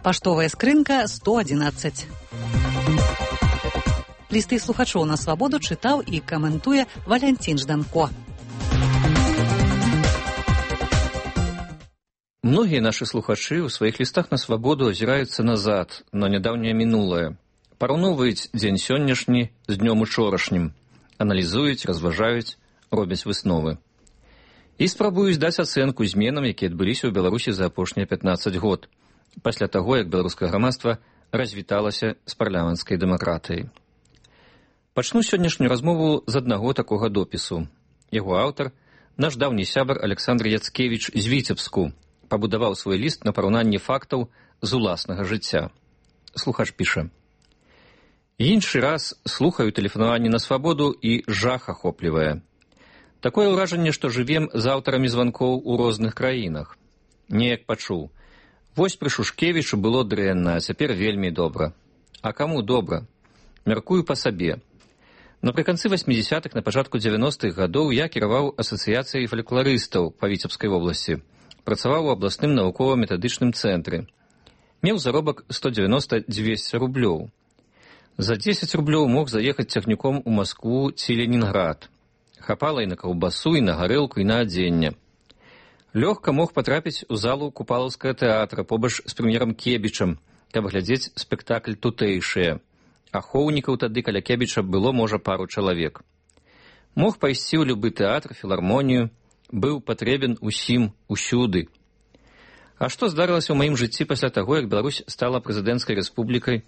Паштовая скрынка 111. Лісты слухачоў на свабоду чытаў і каментуе Валянцін Жданко. Многія нашы слухачы ў сваіх лістах на свабоду азіраюцца назад, на нядаўняе мінулае. Параўноўваюць дзень сённяшні з днём учорашнім, аналізуюць, разважаюць, робяць высновы. І спрабуюць даць ацэнку зменам, якія адбыліся ў Беларусі за апошнія 15 год, пасля таго, як беларускае грамадства развіталася з парламенцкай дэмакратыяй. Пачну сённяшнюю размову з аднаго такога допісу. Яго аўтар, наш даўні сябар Александр Яцкевіч з Віцебску, пабудаваў свой ліст на параўнанні фактаў з уласнага жыцця. Слухач піша: «Іншы раз слухаю тэлефанаванне на свабоду і жах ахоплівае. Такое ўражанне, што жывем з аўтарамі званкоў у розных краінах. Неяк пачуў. Вось пры Шушкевічу было дрэнна, а цяпер вельмі добра. А каму добра? Мяркую па сабе. Напрыканцы 80-х, на пачатку 90-х гадоў я кіраваў асацыяцыяй фалькларыстаў па Віцебскай вобласці. Працаваў у абласным навукова-метадычным цэнтры. Меў заробак 190-200 рублёў. За 10 рублёў мог заехаць цягніком у Маскву ці Ленінград. Хапала і на каўбасу, і на гарэлку, і на адзенне. Лёгка мог патрапіць у залу Купалаўскага тэатра побач з прэм'ерам Кебічам, каб глядзець спектакль тутэйшыя. Ахоўнікаў тады каля Кебіча было, можа, пару чалавек. Мог пайсці ў любы тэатр, філармонію, быў патрэбен усім, усюды. А што здарылася ў маім жыцці пасля таго, як Беларусь стала прэзідэнцкай рэспублікай?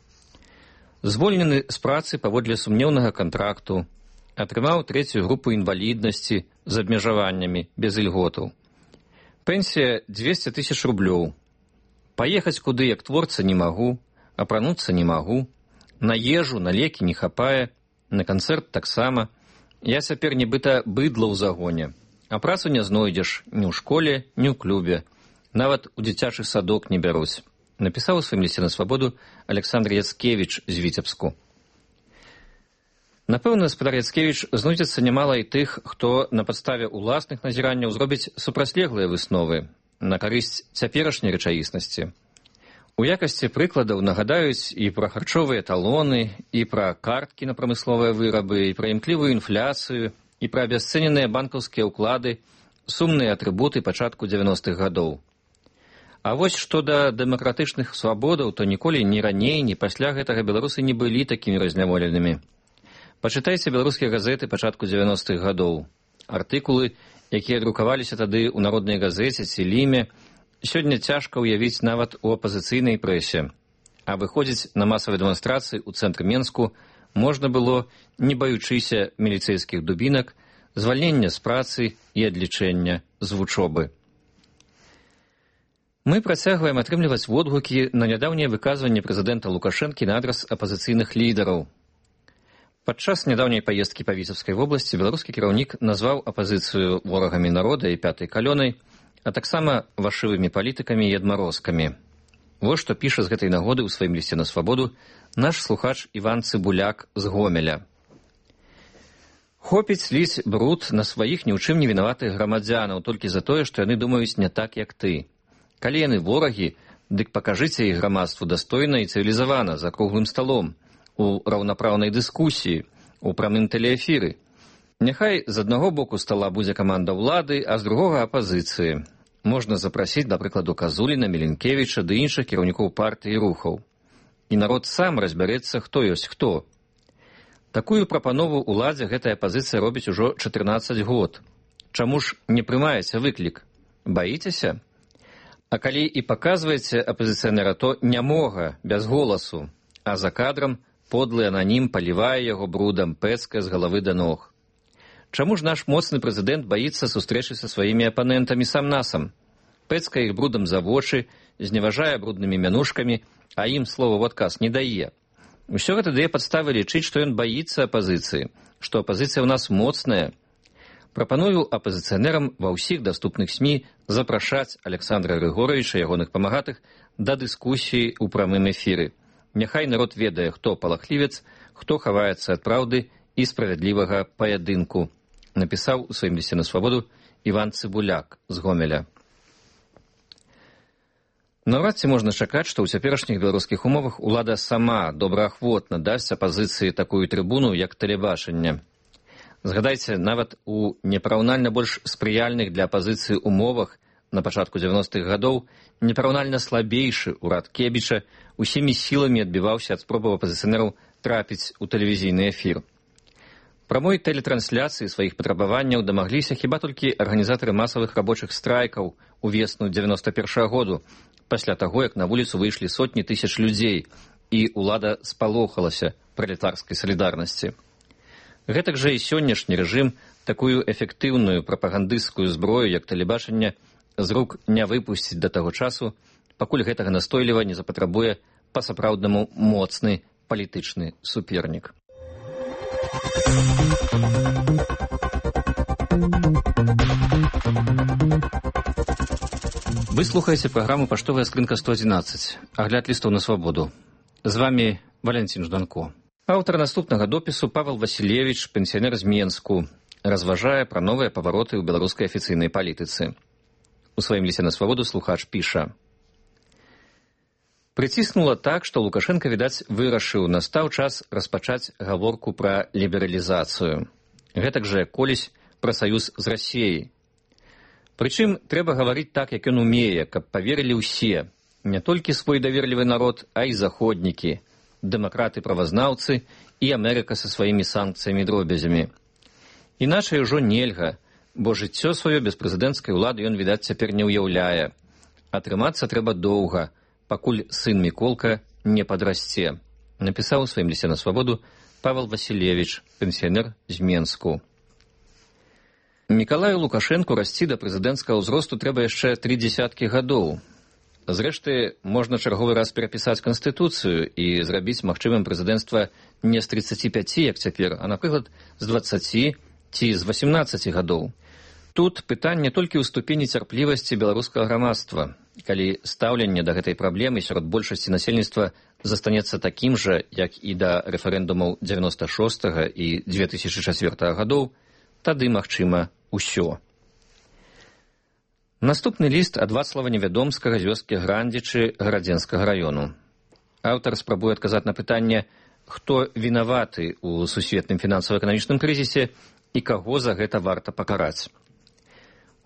Звольнены з працы паводле сумнеўнага кантракту, атрымаў 3-ю групу інваліднасці з абмежаваннямі, без ільготаў. Пенсія 200 000 рублёў. Паехаць куды, як творца, не магу, апрануцца не магу, на ежу, на лекі не хапае, на канцэрт таксама. Я цяпер нібыта быдла ў загоне. А працу не знойдзеш ні ў школе, ні ў клубе. Нават у дзіцячы садок не бяруць. Напісаў у сваім лісце на свабоду Александр Яцкевіч з Віцебску. Напэўна, гаспадар Яцкевіч, знойдзецца нямала і тых, хто на падставе ўласных назіранняў зробіць супрацьлеглыя высновы на карысць цяперашняй рэчаіснасці. У якасці прыкладаў нагадаюць і пра харчовыя талоны, і пра карткі на прамысловыя вырабы, і пра імклівую інфляцыю, і пра абясцэненыя банкаўскія ўклады, сумныя атрыбуты пачатку 90-х гадоў. А вось што да дэмакратычных свабодаў, то ніколі ні раней, ні пасля гэтага беларусы не былі такімі разняволенымі. Пачытайце беларускія газеты пачатку 90-х гадоў. Артыкулы, якія друкаваліся тады ў народнай газеце ці ліме, сёння цяжка ўявіць нават у апазіцыйнай прэсе. А выходзіць на масавыя дэманстрацыі ў цэнтры Менску можна было, не баючыся міліцэйскіх дубінак, звальнення з працы і адлічэння з вучобы. Мы працягваем атрымліваць водгукі на нядаўняе выказванне прэзідэнта Лукашэнкі на адрас апазіцыйных лідараў. Падчас нядаўняй паездкі па Віцебскай вобласці беларускі кіраўнік назваў апазіцыю ворагамі народа і пятай калёнай, а таксама вашывымі палітыкамі і адмарозкамі. Вось што піша з гэтай нагоды ў сваім лісце на свабоду наш слухач Іван Цыбуляк з Гомеля. Хопіць ліць бруд на сваіх ні ў чым не вінаватых грамадзянаў толькі за тое, што яны думаюць не так, як ты. Калі яны ворагі, дык пакажыце іх грамадству дастойна і цывілізавана, за круглым сталом, у раўнапраўнай дыскусіі, у прамым тэлеэфіры. Няхай з аднаго боку стала будзе каманда ўлады, а з другога апазіцыі. Можна запрасіць, да прыкладу, Казуліна, Міленкевіча ды іншых кіраўнікоў партый і рухаў. І народ сам разбярэцца, хто ёсць хто. Такую прапанову ўладзе гэтая апазіцыя робіць ужо 14 год. Чаму ж не прымаеце выклік? Баіцеся? А калі і паказваеце апазіцыянера, то нямога, без голасу, а за кадрам подлы ананім палівае яго брудам, пэцкае з галавы да ног. Чаму ж наш моцны прэзідэнт баіцца сустрэчы са сваімі апанентамі сам-насам? Пэцкае іх брудам за вочы, зневажае бруднымі мянушкамі, а ім слова ў адказ не дае. Усё гэта дае падставы лічыць, што ён баіцца апазіцыі, што апазіцыя ў нас моцная. Прапаную апазіцыянерам ва ўсіх даступных СМІ запрашаць Александра Григоровича і ягоных памагатых да дыскусіі ў прамым эфіры. Няхай народ ведае, хто палахлівец, хто хаваецца ад праўды і справядлівага паядынку. Напісаў у сваім лісце на свабоду Іван Цыбуляк з Гомеля. Наўрад ці можна чакаць, што ў цяперашніх беларускіх умовах улада сама добраахвотна дасць апазіцыі такую трыбуну, як тэлебачанне. Згадайце, нават у непараўнальна больш спрыяльных для апазіцыі умовах на пачатку 90-х гадоў непараўнальна слабейшы ўрад Кебіча усімі сіламі адбіваўся ад спробаў апазіцыянераў трапіць у тэлевізійны эфір. Прамой тэлетрансляцыі сваіх патрабаванняў дамагліся хіба толькі арганізатары масавых рабочых страйкаў у весну 91-го году, пасля таго, як на вуліцу выйшлі сотні тысяч людзей, і ўлада спалохалася пралетарскай салідарнасці. Гэтак жа і сённяшні рэжым такую эфектыўную прапагандысцкую зброю, як тэлебачанне, з рук не выпусціць да таго часу, пакуль гэтага настойліва не запатрабуе па-сапраўднаму моцны палітычны супернік. Вы слухаеце праграму «Паштовая скрынка 111», агляд лістаў на свабоду. З вами Валянцін Жданко. Аўтар наступнага допісу Павел Васілевіч, пенсіянер з Менску, разважае пра новыя павароты ў беларускай афіцыйнай палітыцы. У сваім лісце на свабоду слухач піша: «Прыціснула так, што Лукашенко, відаць, вырашыў, настаў час распачаць гаворку пра лібералізацыю. Гэтак жа колісь пра саюз з Расіяй. Прычым трэба гаварыць так, як ён умее, каб паверылі ўсе, не толькі свой даверлівы народ, а і заходнікі, дэмакраты-правазнаўцы і Амерыка са сваімі санкцыямі і дробязямі. Іначай ужо нельга, бо жыццё сваё без прэзідэнцкай улады ён, відаць, цяпер не ўяўляе. Атрымацца трэба доўга, пакуль сын Міколка не падрасце», напісаў у сваім лісце на свабоду Павел Васілевіч, пенсіянер з Менску. Мікалаю Лукашэнку расці да прэзідэнцкага ўзросту трэба яшчэ 30 гадоў. Зрэшты, можна чарговы раз перапісаць Канстытуцыю і зрабіць магчымым прэзідэнцтва не з 35, як цяпер, а, напрыклад, з 20 ці з 18 гадоў. Тут пытанне толькі ў ступені цярплівасці беларускага грамадства. Калі стаўленне да гэтай праблемы сярод большасці насельніцтва застанецца такім жа, як і да рэферэндумаў 96 і 2004 гадоў, тады магчыма усё. Наступны ліст ад Вацлава Невядомскага з вёскі Грандзічы Гарадзенскага раёну. Аўтар спрабуе адказаць на пытанне, хто вінаваты ў сусветным фінансава-эканамічным крызісе і каго за гэта варта пакараць.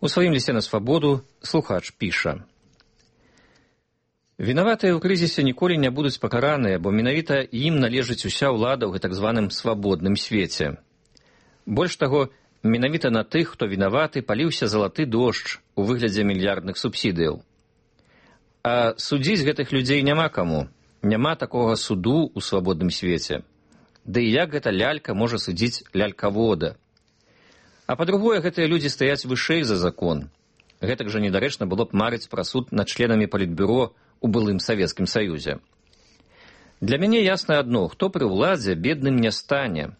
У сваім лісце на свабоду слухач піша: «Вінаватыя ў крызісе ніколі не будуць пакараныя, бо менавіта ім належыць уся ўлада ў гэтак званым свабодным свеце. Больш таго, менавіта на тых, хто вінаваты, паліўся залаты дождж у выглядзе мільярдных субсідыяў. А судзіць гэтых людзей няма каму, няма такога суду ў свабодным свеце. Ды і як гэта лялька можа судзіць лялькавода? А па-другое, гэтыя людзі стаяць вышэй за закон. Гэтак жа недарэчна было б марыць пра суд над членамі палітбюро у былым Савецкім Саюзе. Для мяне ясна адно, хто пры ўладзе бедным не стане.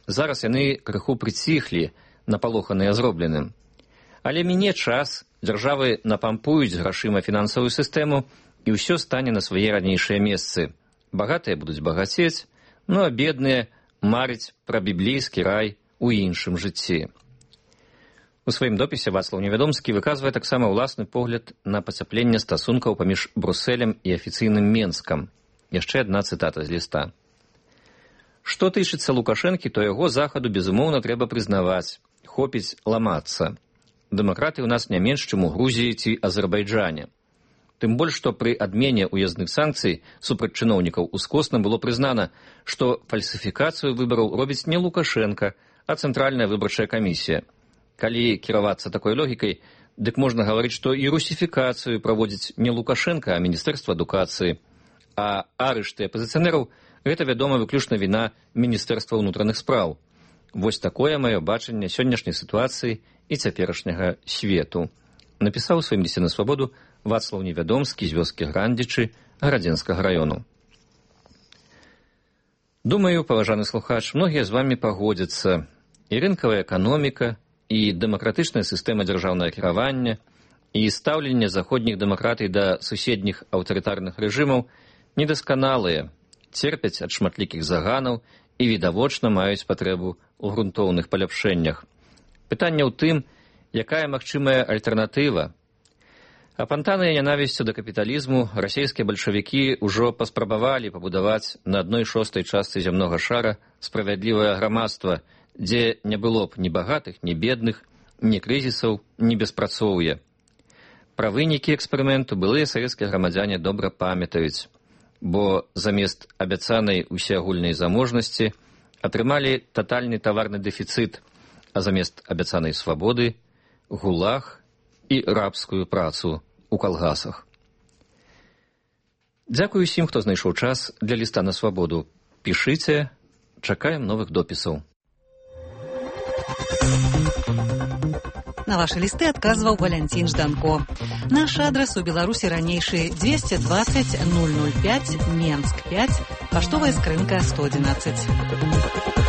Зараз яны крыху прыціхлі, напалоханыя зробленым. Але міне час, дзяржавы напампуюць грашыма фінансавую сістэму, і ўсё стане на свае ранейшыя месцы. Багатыя будуць багацець, ну а бедныя марыць пра біблейскі рай у іншым жыцці». У сваім допісе Вацлаў Невядомскі выказвае таксама ўласны погляд на пацяпленне стасункаў паміж Брусэлем і афіцыйным Менскам. Яшчэ адна цытата з ліста. «Што тычыцца Лукашэнкі, то яго захаду, безумоўна, трэба прызнаваць. Хопіць ламацца. Дэмакраты ў нас не менш, чым у Грузіі ці Азербайджане. Тым больш, што пры адмене ўязных санкцый супраць чыноўнікаў ускосна было прызнана, што фальсіфікацыю выбараў робіць не Лукашенка, а Цэнтральная выбарчая камісія. Калі кіравацца такой логікай, дык можна гаварыць, што і русіфікацыю праводзіць не Лукашенка, а Міністэрства адукацыі. А арышты апазіцыянераў – гэта, вядома, выключна віна Міністэрства ўнутраных спраў. Вось такое маё бачанне сённяшняй сітуацыі і цяперашняга свету», напісаў у сваім лісце на свабоду Вацлаў Невядомскі з вёскі Грандзічы Гарадзенскага раёну. Думаю, паважаны слухач, многія з вамі пагодзяцца. І рынкавая эканоміка, і дэмакратычная сістэма дзяржаўнага кіравання, і стаўленне заходніх дэмакратый да суседніх аўтарытарных рэжымаў недасканалыя, церпяць ад шматлікіх заганаў і відавочна маюць патрэбу ў грунтоўных паляпшэннях. Пытанне ў тым, якая магчымая альтэрнатыва. Апантаныя нянавісцю да капіталізму расійскія бальшавікі ўжо паспрабавалі пабудаваць на 1/6 частцы зямнога шара справядлівае грамадства, дзе не было б ні багатых, ні бедных, ні крызісаў, ні беспрацоўя. Пра вынікі эксперыменту былыя савецкія грамадзяне добра памятаюць, бо замест абяцанай усеагульнай заможнасці атрымалі татальны таварны дэфіцыт, а замест абяцанай свабоды – гулаг і рабскую працу ў калгасах. Дзякую усім, хто знайшоў час для ліста на свабоду. Пішыце, чакаем новых допісаў. На ваши листы отказывал Валентин Жданко. Наш адрес у Беларуси ранейший 220 005 Менск 5, поштовая скрынка 111.